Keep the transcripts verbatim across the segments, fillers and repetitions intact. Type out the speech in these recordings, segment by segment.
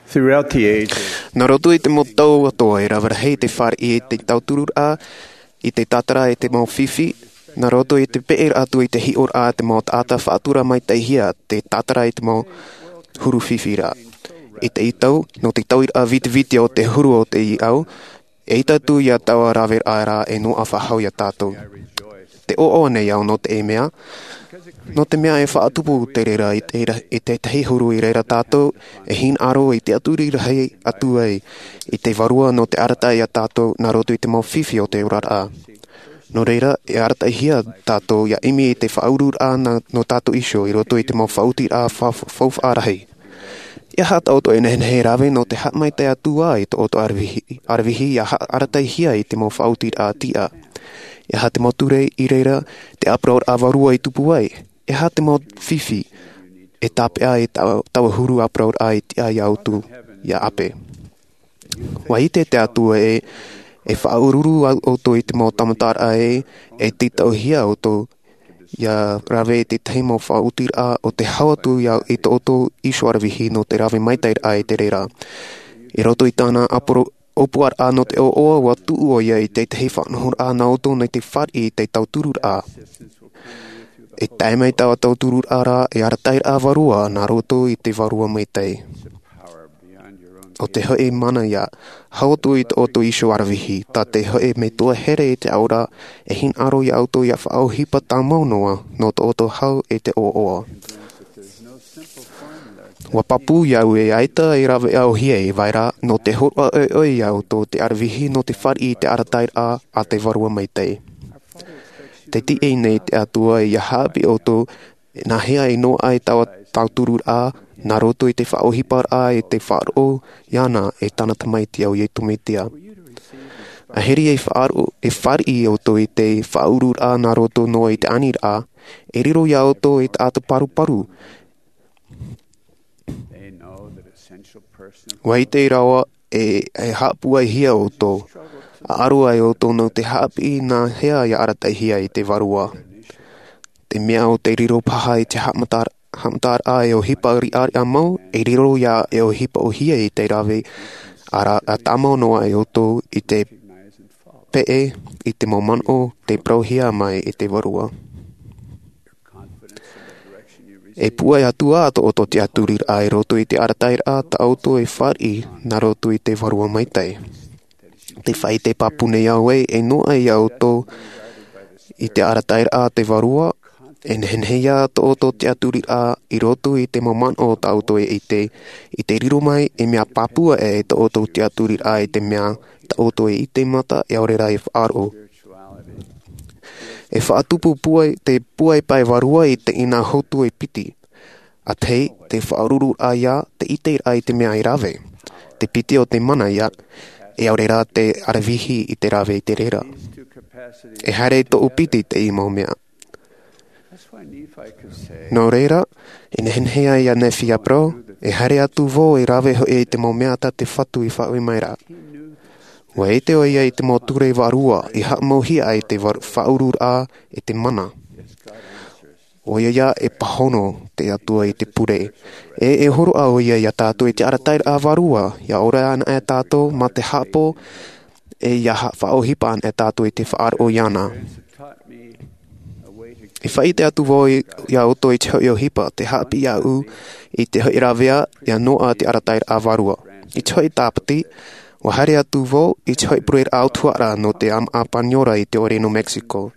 Throughout the ages, nā roto i te mau tau atoʻa, e rave rahi te fāriʻi i te tautururaʻa, i te tātara i te mau fifi, nā roto i te peʻeraʻa atu i te hiʻoraʻa a te mau taʻata faʻatura maitaʻihia te tātara i te mau huru fifi ra. I te tau, nō te tauiraʻa vitiviti o te huru o te ʻīʻau, e ʻaita atu ia taua raveraʻa ra e noaʻa faʻahou ia tātou. Te ʻoaʻoa nei au nō te mea, nō te mea e faʻatupu te reira i te, i tētahi huru i reira tātou e hinaʻaro i te tiʻaturi rahi atu ai i te Vārua nō te arataʻi ia tātou nā roto i te mau fifi o te oraraʻa. Nō reira, e arataʻihia tātou ia ʻimi i te faʻaururaʻa nā, nō tātou iho i roto i te mau faʻaotiraʻa fa-, faufaʻa rahi. E aha tā ʻoutou e nehenehe e rave nō te haʻamaitaʻi atu ā i tō ʻoutou aravihi, aravihi ia ha-, arataʻihia i te mau faʻaotiraʻa tiʻa? E aha te mau ture i reira te ʻāparauraʻa vārua i tupu ai? E aha te mau fifi e tāpeʻa i tā, taua huru ʻāparauraʻa i tiʻa ia ʻoutou, ia ʻape? ʻUa ʻite te Atua ē, e faʻaururu ʻoutou i te mau tāmataraʻa ē, e tītauhia ʻoutou ia rave i tētahi mau faʻaotiraʻa ʻo tē hau atu ia i tō ʻoutou iho aravihi nō te rave maitaʻiraʻa i te reira. I roto i tāna ʻāporo-, ʻōpuaraʻa nō te ʻoaʻoa, ʻua tuʻu ʻoia i tētahi faʻanahoraʻa nā ʻoutou nei te fāriʻi i te tautururaʻa. E tae mai taua tautururaʻa ra, e arataʻiraʻa vārua nā roto i te Vārua Maitaʻi. ʻO te hoʻi mana ia hau atu i tō ʻoutou iho aravihi, tā te hoʻi metua here i te ao ra, e hinaʻaro ia ʻoutou ia faʻaʻohipa tāmau noa nō tō ʻoutou hau i te ʻoaʻoa. ʻUa pāpū ia au ē ʻaita e rave ʻauhia e vai ra, nō te hōroʻa ʻoiʻoi ia ʻoutou te aravihi nō te fāriʻi i te arataʻiraʻa a te Vārua Maitaʻi. Tē tiʻi nei te Atua ia haʻapiʻi ʻoutou, nā hea e noaʻa ai taua tautururaʻa, nā roto i te faʻaʻohiparaʻa i te faʻaroʻo iāna e tāna Tamaiti, ʻo Iesu Mesia. ʻAhiri e faʻaroʻo, e fāriʻi ʻoutou i te faʻaururaʻa nā roto noa i te aniraʻa, e riro ia ʻoutou i te taʻata paruparu. ʻUa ʻite rāua e, e haʻapūaihia ʻoutou, ʻa ʻaro ai ʻoutou nō te haʻapiʻi nā hea ia arataʻihia i te Vārua. Te mea ʻo te riro paha i te haʻamata-, haʻamataraʻa e ʻohipa riʻariʻa mau, e riro ia e ʻohipa ʻōhie i te rave, ʻa ra-, ʻa tāmau noa ai ʻoutou i te peʻe, i te mau manaʻo tei parauhia mai e te Vārua. E pūai atu ā tō ʻoutou tiʻaturiraʻa i roto i te arataʻiraʻa tā ʻoutou e fāriʻi nā roto i te Vārua Maitaʻi. Te faʻaʻite pāpū nei au ē, e noaʻa ia ʻoutou i te arataʻiraʻa a te Vārua, e nehenehe ïa tō ʻoutou tiʻaturiraʻa i roto i te mau manaʻo tā ʻoutou e ʻite, i te riro mai e mea pāpū aʻe tō ʻoutou tiʻaturiraʻa i te mea tā ʻoutou e ʻite mata, e ʻaore rā e faʻaroʻo. E faʻatupu pūai, te pūai pae vārua i teie nā hotu e piti. ʻA tahi, te faʻaururaʻa ïa, te ʻiteraʻa i te mea e rave. Te piti ʻo te mana ïa, e ʻaore rā te aravihi i te rave i te reira. E haere i tōʻu piti teie mau mea. Nō reira, e nehenehe ai ʻo Nephi ʻia parau, e haere atu vau e rave hoʻi i te mau mea tā te Fatu i faʻaue mai ra. ʻUa ʻite ʻoia i te mau ture vārua i haʻamauhia ai te var-, faʻaururaʻa e te mana. ʻOia ïa e pāhono te Atua i te pure. E, e hōroʻa ʻoia ia tātou i te arataʻiraʻa vārua, ʻia ora anaʻe tātou mā te haʻapaʻo, e ʻia ha-, faʻaʻohipa anaʻe tātou i te faʻaroʻo iāna. E faʻaʻite atu vau i, ia ʻoutou i te hoʻi ʻohipa, tē haʻapiʻi iāʻu i te hoʻi ravea, ʻia noaʻa te arataʻiraʻa vārua. I te hoʻi Tāpati, ʻua haere atu vau i te hoʻi pureraʻa ʻautuhaʻa nō te ʻāmaʻa Paniora i te ʻōrero nō Mexico.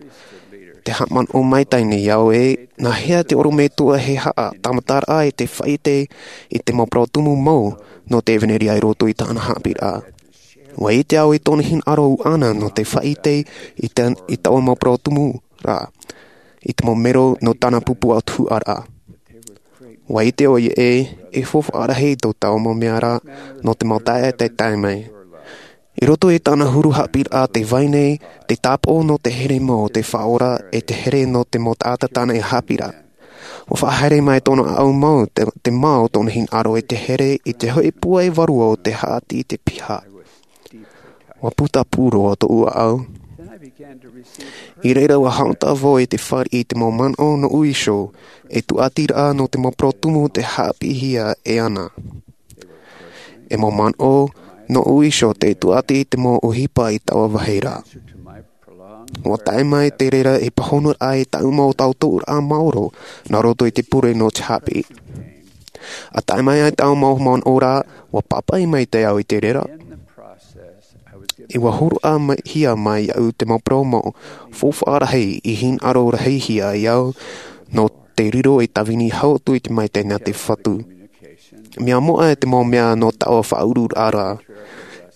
Tē haʻamanaʻo maitaʻi nei au ē, nā hea te ʻorometua e haʻa, tāmataraʻa i te faʻaʻite i te mau parau tumu mau nō te ʻevanelia i roto i tāna haʻapiʻiraʻa. ʻUa ʻite au i tōna hinaʻaro ʻuʻana nō te faʻaʻite i te, i taua mau parau tumu ra, i te mau mero nō tāna pupu ʻautuhaʻa ra. ʻUa ʻite ʻoia ē, e faufaʻa rahi tō taua mau mea ra, nō te mau taeaʻe tei tae mai. I roto i tāna huru haʻapiʻiraʻa tē vai nei, te tāpaʻo nō te here mau o te Faʻaora, e te here nō te mau taʻata tāna e haʻapiʻi ra. ʻUa faʻahaere mai tōna ʻāʻau mau, te, te mā o tōna hinaʻaro e te here i te hoʻi pūai vārua o te haʻati i te piha. ʻUa putapū roa tōʻu ʻāʻau. I reira ʻua haʻamata vau i te fāriʻi i te mau manaʻo nōʻu iho, e tūʻatiraʻa nō te mau parau tumu tei haʻapiʻihia e ana. E mau manaʻo nōʻu iho tei tuʻati i te mau ʻohipa i taua vāhi ra. Ua tae mai te reira ei pāhonoraʻa i taua mau tauturu maoro nā roto i te pure nō te haʻapiʻi. ʻA tae mai ai taua mau manaʻo ra, ua pāpaʻi maitaʻi au i te reira. ʻE ua hōroʻahia mai iāʻu te mau parau mau faufaʻa rahi i hinaʻaro rahihia ai au nō te riro ei tāvini hau atu i te maitaʻi nā te Fatu. Mea moʻa e te mau mea nō taua faʻauruuraʻa ra.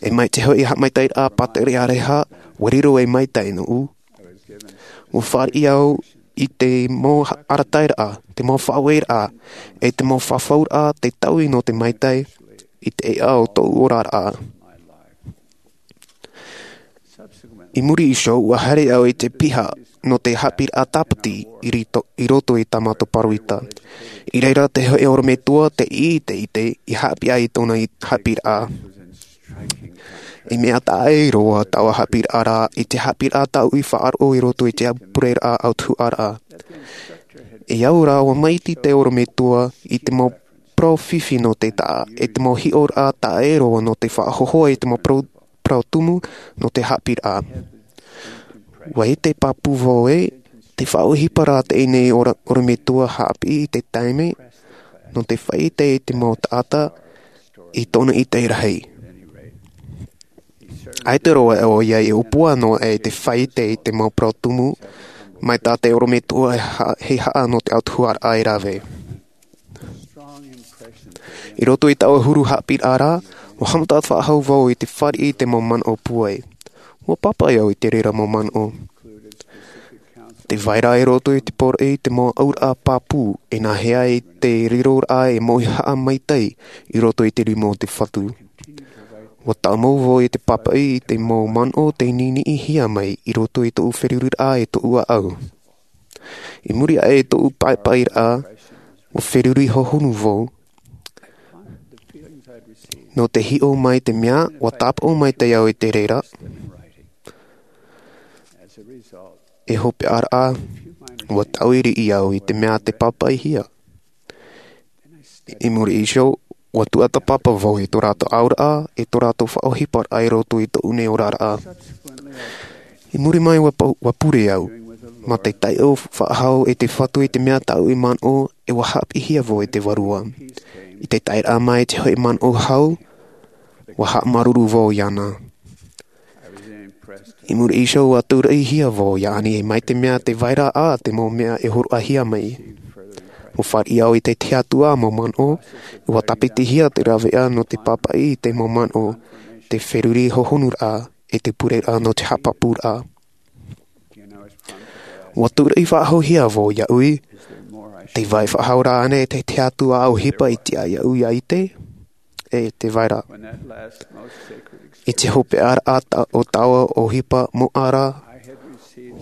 E mai te hoʻi haʻamaitaʻiraʻa pātireia ʻāreha, ua riro ei maitaʻi nōʻu. Ua fāriʻi au i te mau arataʻiraʻa, te mau faʻaueraʻa, e te mau fafauraʻa tei taui nō te maitaʻi i te ʻēʻa o tōʻu oraraʻa. I muri iho, ua haere au i te piha nō te haʻapiʻiraʻa tāpati i rito-, i roto i tā mātou pāroita. I reira te hōʻē ʻorometua tei ʻite i te, i haʻapiʻi ai i tōna i-, haʻapiʻiraʻa. E mea taʻa ʻē roa taua haʻapiʻiraʻa ra i te haʻapiʻiraʻa tāʻu i faʻaroʻo i roto i te pureraʻa ʻautuhaʻaraʻa. E au rā, ua maiti te ʻorometua i te mau parau fifi nō te taʻa, e te mau hiʻoraʻa taʻa ʻē roa nō te faʻahōhoʻa i te mau parau, parau tumu nō te haʻapiʻiraʻa. Ua ʻite pāpū vau ē, tē faʻaʻohipa ra teie nei ʻoro-, ʻorometua haʻapiʻi i te taime, nō te faʻaʻite i te mau taʻata i tōna ʻite rahi. ʻAita roa ʻoia i ʻōpua noa i te faʻaʻite i te mau parau tumu, mai tā te ʻorometua e ha-, heihaʻa nō te ʻautuhaʻaraʻa e rave. I roto i taua huru haʻapiʻiraʻa ra, ua haʻamata faʻahou vau i te fāriʻi i te mau manaʻo pūai. Ua pāpaʻi au i te reira mau manaʻo. Tē vai ra i roto i te poroʻi te mau auraʻa pāpū, e nāhea i te riroraʻa e mauhaʻa maitaʻi i roto i te rima o te Fatu. Ua tāmau vau i te pāpaʻi i te mau manaʻo tei niniʻihia mai i roto i tōʻu feruriraʻa e tōʻu ʻāʻau. I muri aʻe i tōʻu pāpaʻiraʻa, ua feruri hohonu vau. Nō te hiʻo mai te mea, ua tāpaʻo maitaʻi au i te reira. E hopeʻa ra, ua taui riʻi au i te mea tē pāpaʻihia. I muri iho, ua tuatāpapa vau i tō rātou auraʻa, i tō rātou faʻaʻohiparaʻa i roto i tōʻu nei oraraʻa. I muri mai ua pau-, ua pure au, mā te taiʻo faʻahou e te Fatu i te mea tāʻu i manaʻo, e ua haʻapiʻihia vau e te Vārua. I te taeraʻa mai te hōʻē manaʻo hau, ua haʻamāuruuru vau iāna. I muri iho ua tūraʻihia vau iāʻani e mai te mea tē vai ra ā te mau mea e hōroʻahia mai. Ua fāriʻi au i te tiʻaturiraʻa mau manaʻo, ua tāpitihia te rāveʻa nō te pāpaʻi i te mau manaʻo, te feruri hohonuraʻa, e te pureraʻa nō te haʻapāpūraʻa. Ua tūraʻi faʻahouhia vau iāʻu, tē vai faʻahou ra ānei te tiʻaturiraʻa ʻohipa i tiʻa iāʻu ʻia ʻite, e tē vai ra. I te hopeʻaraʻa ta-, o taua ʻohipa moʻa ra,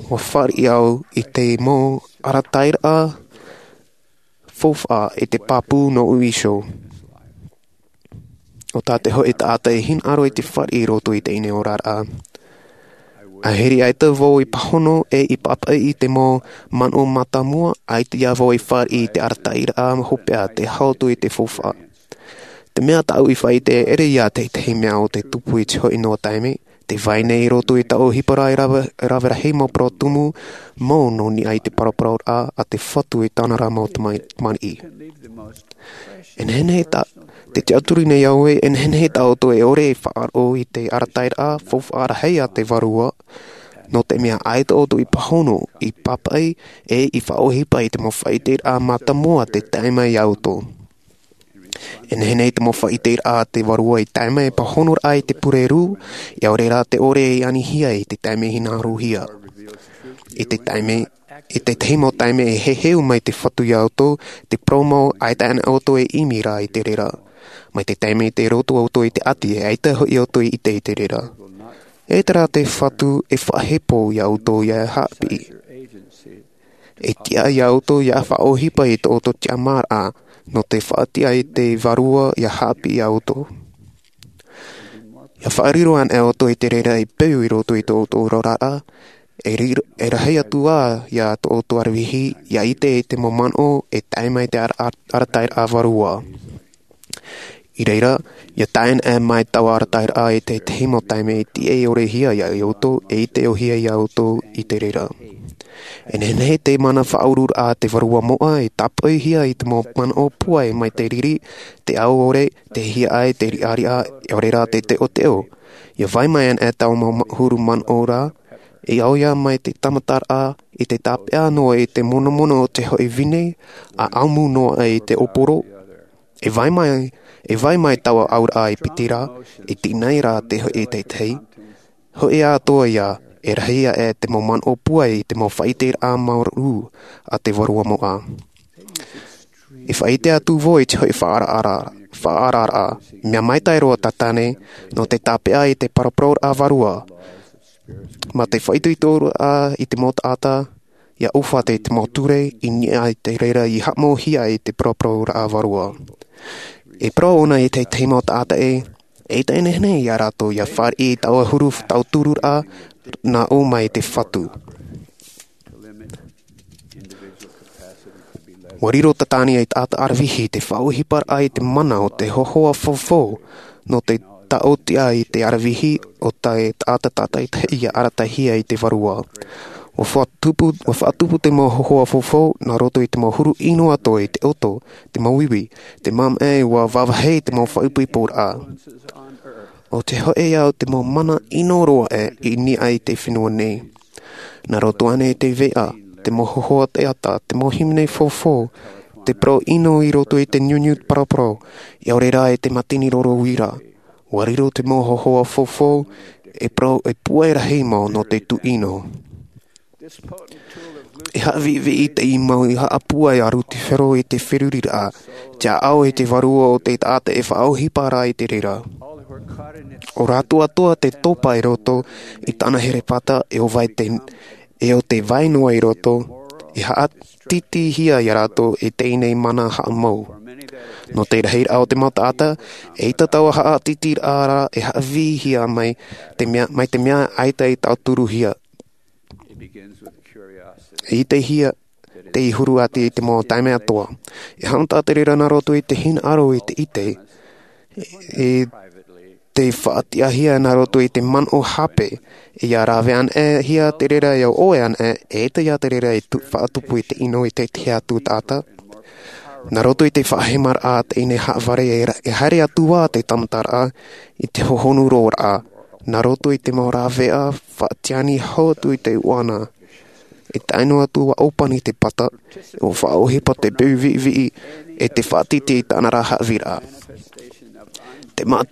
ua fāriʻi au i te mau arataʻiraʻa faufaʻa e te pāpū nōʻu iho. ʻO tā te hōʻē taʻata e hinaʻaro i te fāriʻi i roto i teie nei oraraʻa. ʻA hiri ʻaita vau i pāhono e i pāpaʻi i te mau manaʻo mātāmua, ʻaita ia vau i fāriʻi i te arataʻiraʻa hopeʻa tei hau atu i te faufaʻa. Te mea tāʻu i faʻaʻite, e ʻere ia te, te mea o te tupu i te hōʻē noa taime, tē vai nei i roto i taua ʻohipa ra e rave, e rave rahi mau parau tumu, mau nō niʻa i te paraparauraʻa a te Fatu i tāna ra mau tamai-, tamariʻi. E nehenehe tā, tē tiʻaturi nei au ē, e nehenehe tā ʻoutou e ʻore e faʻaroʻo i te arataʻiraʻa faufaʻa rahi a te Vārua, nō te mea ʻaita ʻoutou i pāhono, i pāpaʻi, e i faʻaʻohipa i te mau faʻaʻiteraʻa mātāmua tē tae mai iā ʻoutou. E nehenehe te mau faʻaʻiteraʻa a te Vārua i tae mai e pāhonoraʻa i te purerū, ʻia ʻore rā te ʻore e anihia i te taime hinaʻarohia. I te taime, i te tahi mau taime e heheu mai te Fatu iā ʻoutou, te parau mau ʻaita anaʻe ʻoutou e ʻimi ra i te reira. Mai te taime tei roto ʻoutou i te ʻati, e ʻaita hoʻi ʻoutou i ʻite i te reira. E terā te Fatu e faʻahepo iā ʻoutou ʻia haʻapiʻi. E tiʻa iā ʻoutou ʻia faʻaʻohipa i tō ʻoutou tiʻamāraʻa, nō te faʻatiʻa i te Vārua ʻia haʻapiʻi iā ʻoutou. ʻIa faʻariro anaʻe ʻoutou i te reira e peu i roto i tō ʻoutou oraraʻa, e riro, e rahi atu ā ia tō ʻoutou aravihi, ʻia ʻite i te mau manaʻo e tae mai te ara-, ara-, arataʻiraʻa Vārua. I reira, ia tae ana mai taua arataʻiraʻa i te tahi mau taime e tiʻa ʻore hia ia ʻoutou e ʻite ʻore hia ia ʻoutou i te reira. E nehenehe te mana faʻaururaʻa a te vārua moʻa e tāpoʻihia i te mau manaʻo pūai mai te riri, te ao ʻore, te hiaʻai, te riʻariʻa, ʻaore rā te teʻoteʻo. Ia vai mai ana taua mau ma-, huru manaʻo ra, e au ia mai te tāmataraʻa, i te tāpeʻa noa i te monomono o te hoʻi vine, a ʻamu noa i te ʻōporo. E vai mai, e vai mai taua auraʻa e piti ra, e tīnai ra te hoʻi tētahi. Hoʻi atoʻa ia, e rahi aʻe te mau manaʻo pūai i te mau faʻaʻiteraʻa māuruuru a te vārua moʻa. E faʻaʻite atu vau i te hoʻi faʻaararaʻa, faʻaararaʻa, mea maitaʻi roa tātane, nō te tāpeʻa i te paraparau a vārua. Mā te faʻaitoitoraʻa i te mau taʻata, ia ʻōfā te mau ture, i niʻa i te reira i haʻamauhia i te paraparau a vārua. E parau ʻōna i te tahi mau taʻata ē, eʻita e nehenehe ia rātou ia fāriʻi i taua huru tauturu ra, nā ʻō mai te Fatu. ʻUa riro tātane ei taʻata aravihi te faʻaʻohiparaʻa i te mana o te hōhoʻa fofo, nō te taʻotiʻa i te aravihi o te taʻata tātaʻitahi ia aratahia i te vārua. ʻUa faʻatupu, ʻua faʻatupu te mau hōhoʻa fofo, nā roto i te mau huru ʻino atoʻa i te ʻoto, te mau ivi, te māmaʻe, ʻua vāvāhi te mau faʻaipoiporaʻa. ʻO te hoʻi au te mau mana ʻino roa ē i niʻa i te fenua nei. Nā roto ānei te veʻa, te mau hōhoʻa teata, te mau hīmene fofo, te parau ʻino i roto i te niuniu paraparau, ʻaore rā i te mātini roro uira. ʻUa riro te mau hōhoʻa fofo, e parau, e pūai rahi mau nō te tūʻino. E haʻaviʻiviʻi te mau haʻapūai a Lutifero i te feruriraʻa, te ʻāʻau i te vārua o te taʻata e faʻaʻohipa ra i te reira. ʻO rātou atoʻa te topa i roto i tāna herepata e ʻo vai te, e ʻo te vai noa i roto, e haʻatītīhia ia rātou e teie nei mana haʻamau. Nō te rahiraʻa o te mau taʻata, eʻita taua haʻatītīraʻa ra e haʻavīhia mai te mea, mai te mea ʻaita i tauturuhia. E ʻitehia te huru atu i te mau taime atoʻa. E haʻamata te reira nā roto i te hinaʻaro i te ʻite, e te faʻatiʻahia nā roto i te manaʻo hape, ia rave anaʻe hia te reira ia ʻoe anaʻe, eʻita ia te reira e tu-, faʻatupu i te ʻino i te tahi atu taʻata. Nā roto i te faʻahemaraʻa a teie nei haʻavare e ra-, e haere atu ā te tāmataraʻa i te hohonu roa raʻa. Nā roto i te mau rāveʻa faʻatiani hau atu i te ʻuana. E tae noa atu ʻua ʻōpani te pata, ʻua faʻaʻohipa te peu viʻiviʻi, e te faʻatītī i tāna ra haʻavīraʻa. Te ma-,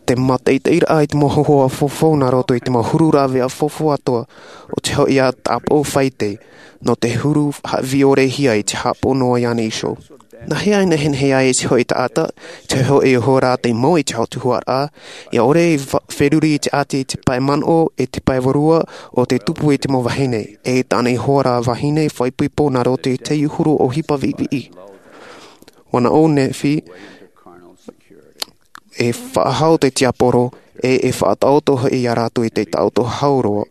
te mātaʻitaʻiraʻa i te mau hōhoʻa fofo nā roto i te mau huru rāveʻa fofo atoʻa, ʻo te hoʻi ā tāpaʻo faʻaʻite, nō te huru haʻavīʻorehia i te haʻapaʻo noa iāna iho. Nā hea e nehenehe ai te hoʻi taʻata, te hoʻi hora te mau i te autahuʻaraʻa, ʻia ʻore i fa-, feruri i te ʻati i te pae manaʻo, e te pae vārua, ʻo te tupu i te mau vahine, e tāna i hora vahine faʻaipoipo nā roto i te huru ʻohipa viʻiviʻi. ʻUa nā ʻō Nephi, e faʻahau te tiaporo, e, e faʻataʻoto hoʻi ia rātou i te taʻoto hau roa,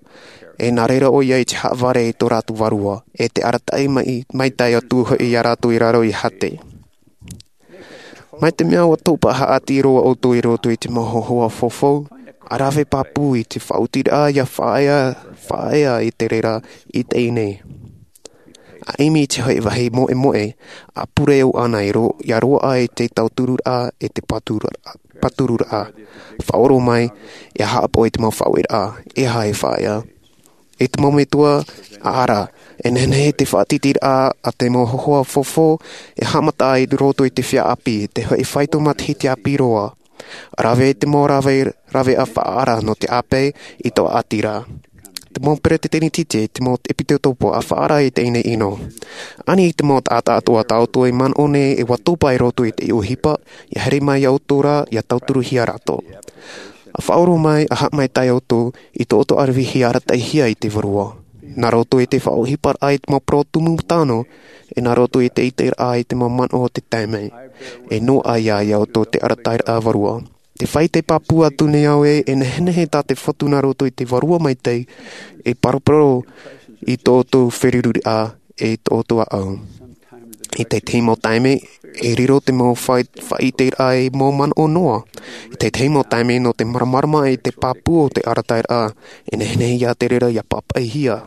e nā reira ʻoia i te haʻavare i tō rātou vārua, e te arataʻi mai, maitaʻi atu hoʻi ia rātou i raro i hate. Mai te mea ʻua topa haʻati roa ʻoutou i roto i te mau hōhoʻa fofo, ʻa rave pāpū i te faʻaotiraʻa ʻia faʻaea, faʻaea i te reira i teie nei. ʻA ʻimi i te hoʻi vāhi moʻemoʻe, ʻa pure ʻoʻana i ro-, ʻia roaʻa i te tautururaʻa, e te pātururaʻa, pātururaʻa. Faʻaroʻo mai, ʻia haʻapaʻo i te mau faʻaueraʻa, e aha e faʻaea. E te mau metua, ʻa ara, e nehenehe te faʻatītīraʻa a te mau hōhoʻa fofo, e haʻamata ai i roto i te feiā ʻāpī, te hoʻi faito matahiti ʻāpī roa. Rave te mau rave, rāveʻa faʻaara nō te ʻāpī i tō ʻāti ra. Te mau peresideni tītī, te mau ʻepisekopo ʻa faʻaara i teie nei ʻino. Ani i te mau taʻata atoʻa tā ʻoutou e manaʻo nei e ʻua topa i roto i te ʻohipa, ʻia haere mai ia ʻoutou ra, ʻia tauturuhia rātou. ʻA faʻaroʻo mai, ʻa haʻamaitaʻi ʻoutou i tō ʻoutou aravihi arataʻihia i te vārua. Nā roto i te faʻaʻohiparaʻa i te mau parau tumu tano, e nā roto i te ʻiteraʻa i te mau manaʻo o te taime. E noaʻa ia ʻoutou te arataʻiraʻa vārua. Tē faʻaʻite pāpū atu nei au ē, e nehenehe tā te Fatu nā roto i te Vārua Maitaʻi, e paraparau i tō ʻoutou feruriraʻa, e tō ʻoutou ʻāʻau. I tētahi mau taime, e riro te mau fai-, faʻaʻiteraʻa e mau manaʻo noa. I tētahi mau taime, nō te māramarama i te pāpū o te arataʻiraʻa, e nehenehe ia te reira ia pāpaʻihia.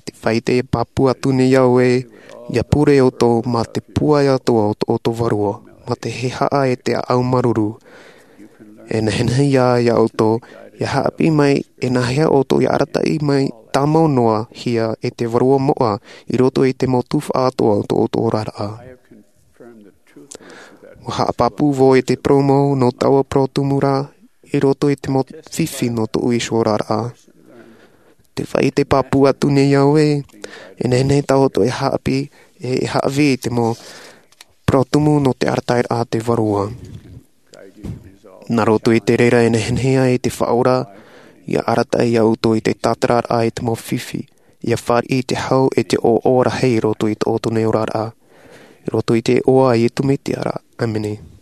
Te faʻaʻite e pāpū atu nei au ē, ia pure ʻoutou mā te pūai atoʻa o tō ʻoutou vārua, mā te hehaʻa e te ʻāʻau māuruuru. E nehenehe ia, ia ʻoutou, ia haʻapiʻi mai, e nāhea ʻoutou ia arataʻi mai tāmau noa hia e te vārua moʻa i roto i te mau tuhaʻa atoʻa o tō ʻoutou oraraʻa. ʻUa haʻapāpū vau i te parau mau nō taua parau tumu ra i roto i te mau fifi nō tōʻu iho oraraʻa. Te faʻaʻite pāpū atu nei au ē, e nehenehe tā ʻoutou e haʻapiʻi, e, e haʻavī i te mau parau tumu nō te arataʻiraʻa a te vārua. Nā roto i te reira e nehenehe ai te Faʻaora, ia arataʻi ia ʻoutou i te tātararaʻa i te mau fifi, ia fāriʻi i te hau e te ʻoaʻoa rahi i roto i tō ʻoutou nei oraraʻa. I roto i te iʻoa a Iesu Mesia ra. ʻĀmene.